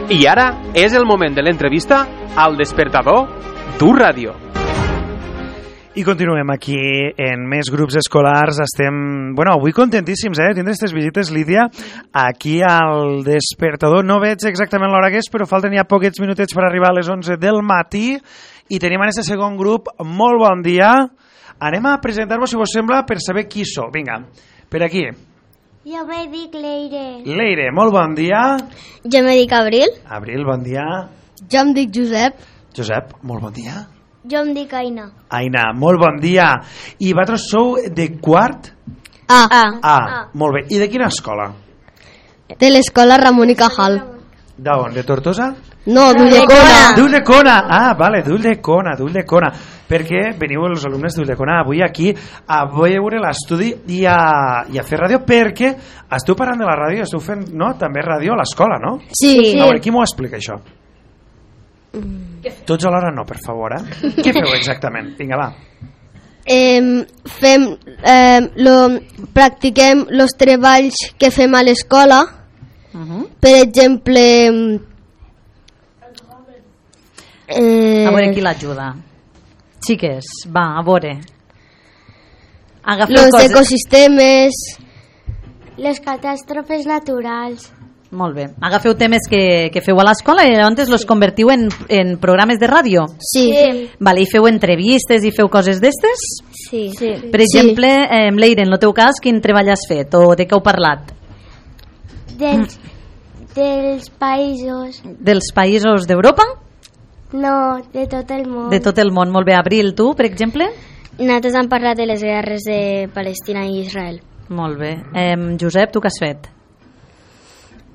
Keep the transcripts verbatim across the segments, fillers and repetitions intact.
I ara és el moment de l'entrevista al Despertador d'U Ràdio. I continuem aquí en més grups escolars. Estem, bueno, avui contentíssims, eh, tindre aquestes visites, Lídia, aquí al Despertador. No veig exactament l'hora que és, però falten ja poquets minutets per arribar a les onze del matí i tenim en aquest segon grup. Molt bon dia. Anem a presentar-vos, si vos sembla, per saber qui sou. Vinga, per aquí. Jo me dic Leire. Leire, molt bon dia. Jo me dic Abril. Abril, bon dia. Jo em dic Josep. Josep, molt bon dia. Jo em dic Aina. Aina, molt bon dia. I vosaltres sou de quart? A. A. Ah, molt bé. I de quina escola? De l'escola Ramon i Cajal. D'on? De Tortosa? No, d'Ulldecona. D'Ulldecona. Ah, vale, d'Ulldecona, d'Ulldecona. Perquè veniu els alumnes d'Ulldecona avui aquí a veure l'estudi i a, i a fer ràdio, perquè esteu parlant de la ràdio i esteu fent, no, també ràdio a l'escola, no? Sí. sí. A veure, qui m'ho explica, això? Mm. Tots alhora no, per favor, eh? Què feu exactament? Vinga, va. Eh, fem, eh, lo, practiquem els treballs que fem a l'escola. Uh-huh. Per exemple, eh... a veure qui l'ajuda. Xiques, va, a veure. Agafeu els coses... ecosistemes, les catàstrofes naturals. Molt bé. Agafeu temes que, que feu a l'escola i llavors els convertiu en, en programes de ràdio? Sí. sí. Vale, i feu entrevistes i feu coses d'estes? Sí. sí. Per exemple, sí. eh, Leire, en el teu cas, quin treball has fet o de què heu parlat? Dels, dels països. Dels països d'Europa? No, de tot el món. De tot el món, molt bé. Abril, tu, per exemple? Nosaltres hem parlat de les guerres de Palestina i Israel. Molt bé. Eh, Josep, tu què has fet?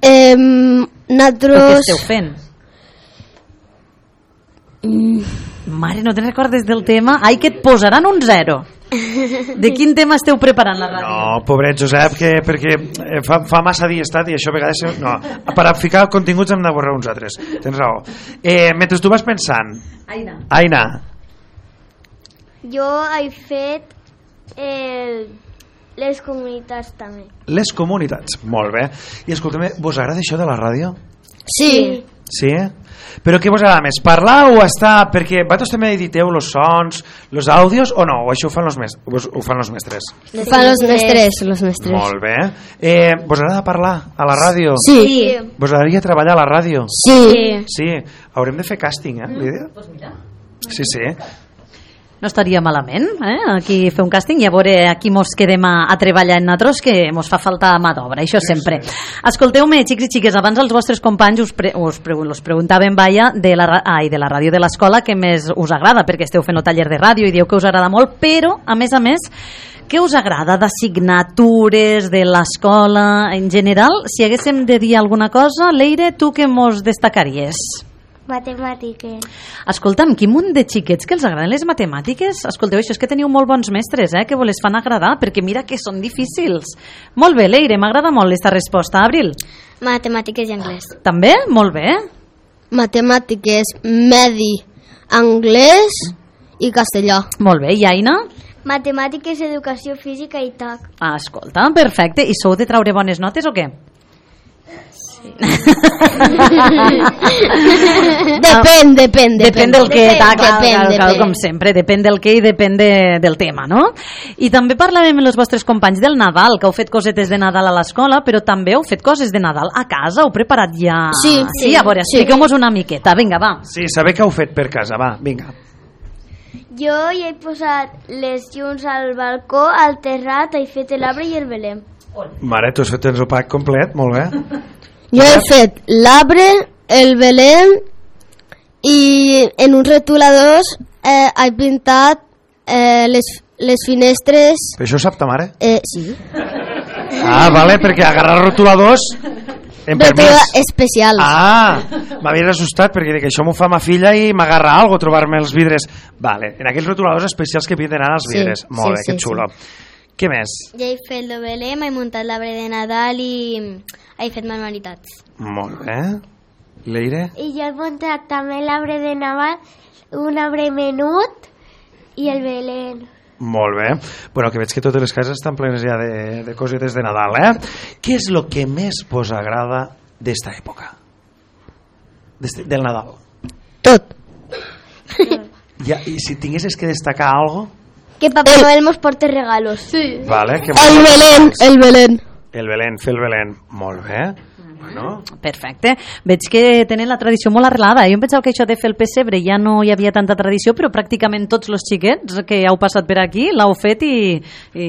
Eh, nosaltres... Què esteu fent? Mm. Mare, no te'n recordes del tema? Ai, que et posaran un zero. De quin tema esteu preparant la ràdio? No, pobret Josep, que, perquè fa, fa massa dia estat i això a vegades... No, per a ficar continguts hem de borrar uns altres. Tens raó. Eh, mentre tu vas pensant... Aina. Aina. Jo he fet el, les comunitats també. Les comunitats, molt bé. I escolta'm, vos agrada això de la ràdio? Sí. Sí? Però què vos agrada més? Parlar o estar... Perquè vosaltres també editeu els sons, els àudios, o no? O això ho fan els mestres? Ho fan els mestres? Ho fan els mestres, los mestres. Molt bé. Eh, vos agrada parlar a la ràdio? Sí. Vos agradaria treballar a la ràdio? Sí. Sí. Haurem de fer càsting, eh, Lídia? Pues mira. Sí, sí. No estaria malament, eh? Aquí fer un càsting i a veure aquí mos quedem a, a treballar en nosaltres, que mos fa falta mà d'obra, això sempre. Escolteu-me, xics i xiques, abans els vostres companys us, pre, us, pre, us preguntaven, vaja, de la, ai, de la ràdio de l'escola que més us agrada, perquè esteu fent el taller de ràdio i dieu que us agrada molt, però, a més a més, què us agrada d'assignatures de l'escola en general? Si haguéssim de dir alguna cosa, Leire, tu què mos destacaries? Matemàtiques. Escolta'm, quin munt de xiquets que els agraden les matemàtiques. Escolteu, això és que teniu molt bons mestres, eh, que vos les fan agradar, perquè mira que són difícils. Molt bé, Leire, m'agrada molt aquesta resposta. Abril? Matemàtiques i anglès. També? Molt bé. Matemàtiques, medi, anglès i castellà. Molt bé, i Aina? Matemàtiques, educació física i T A C. Ah, escolta, perfecte. I sou de traure bones notes o què? depèn, depèn, depèn del que, depèn, clar, clar, depèn, clar, depèn. com sempre, depèn del que i depèn de, del tema, no? I també parlàvem amb els vostres companys del Nadal, que heu fet cosetes de Nadal a l'escola, però també heu fet coses de Nadal a casa, heu preparat ja... Sí, sí, a veure, sí. expliqueu-nos una miqueta, vinga, va. Sí, saber què heu fet per casa, va, vinga. Jo hi he posat les llums al balcó, al terrat, he fet l'arbre i el belém. Mare, tu has fet el pack complet, molt bé. Jo he fet l'arbre, el belém i en uns retoladors eh, he pintat eh, les, les finestres. Però això ho sap ta mare? Eh, sí. Ah, vale, perquè agarrar rotuladors en Rotulador permís. especials. Ah, m'havia assustat perquè dic, això m'ho fa ma filla i m'agarra algo trobar-me els vidres. Vale, en aquells rotuladors especials que pinten ara els vidres. Sí, molt sí, bé, que sí, xulo. Sí. Què més? Ja he fet el belém, he muntat l'arbre de Nadal i he fet manualitats. Molt bé. Leire? I jo he muntat també l'arbre de Nadal, un arbre menut i el belén. Molt bé. Bueno, que veig que totes les cases estan plenes ja de, de cosetes de Nadal, eh? Què és el que més vos agrada d'esta època? Des- del Nadal? Tot. Ja, I si tinguessis que destacar algo? Que Papá Noel nos porte regalos. Sí. Vale, que El Belén, el Belén. El Belén, fer el Belén. Molt bé. Bueno. Perfecte. Veig que tenen la tradició molt arrelada. Jo em pensava que això de fer el pessebre ja no hi havia tanta tradició, però pràcticament tots els xiquets que heu passat per aquí l'heu fet i, i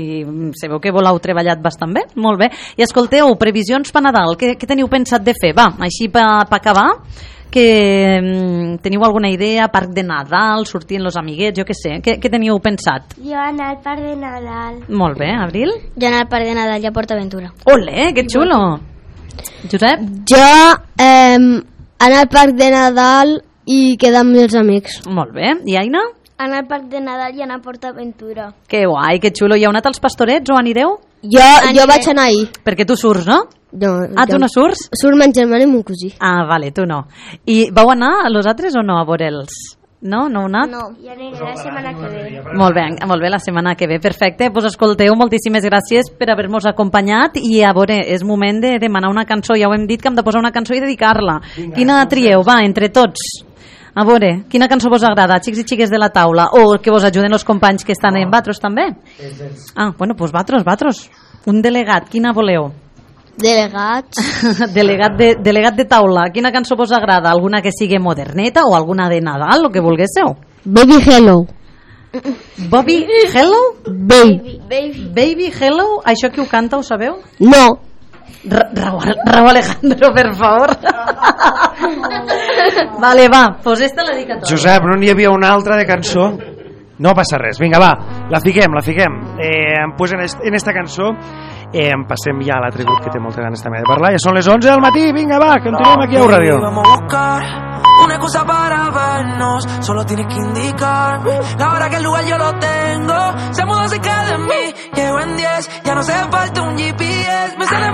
se veu que voleu treballat bastant bé. Molt bé. I escolteu, previsions per Nadal, què, què teniu pensat de fer? Va, així per pa acabar, que mm, teniu alguna idea? Parc de Nadal, sortir amb els amiguets, jo què sé. Què, què teniu pensat? Jo anar al parc de Nadal. Molt bé, Abril. Jo anar al parc de Nadal i a PortAventura. Olé, que xulo. Josep? Jo eh, anar al parc de Nadal i quedar amb els amics. Molt bé. I Aina? Anar al parc de Nadal i anar a PortAventura. Que guai, que xulo. Hi heu anat als Pastorets o anireu? Jo, jo vaig anar ahir. Perquè tu surts, no? No, Ah, tu no surts? Surt ma germana i mon cosí. Ah, vale, tu no. I vau anar a los altres o no a veure'ls? No? No heu anat? No. I aniré la setmana que ve. Molt bé, molt bé, la setmana que ve. Perfecte, doncs escolteu, moltíssimes gràcies per haver-nos acompanyat i a veure, és moment de demanar una cançó. Ja ho hem dit que hem de posar una cançó i dedicar-la. Quina trieu? Va, entre tots. A veure, quina cançó vos agrada, xics i xiques de la taula? O que vos ajuden els companys que estan en Batros també? Ah, bueno, doncs Batros, Batros. Un delegat, quina voleu? Delegats. delegat, de, delegat de taula, quina cançó vos agrada? Alguna que sigui moderneta o alguna de Nadal, el que volguéssiu? Baby Hello. Bobby Hello? Baby. Baby Hello? Això qui ho canta, ho sabeu? No. Ra Raúl, Raúl Alejandro, per favor. Vale, va, pues esta la dedicatòria. Josep, no n'hi havia una altra de cançó? No passa res, vinga, va, la fiquem, la fiquem. Eh, pues en, est en esta cançó eh, passem ja a l'altre grup que té moltes ganes també de parlar. Ja són les onze del matí, vinga, va, continuem aquí a Ràdio. Vamos a buscar una excusa para vernos, solo tienes que indicarme la hora que el lugar yo lo tengo. Se mudó cerca de mí, llevo en diez, ya no hace falta un G P S. Me sale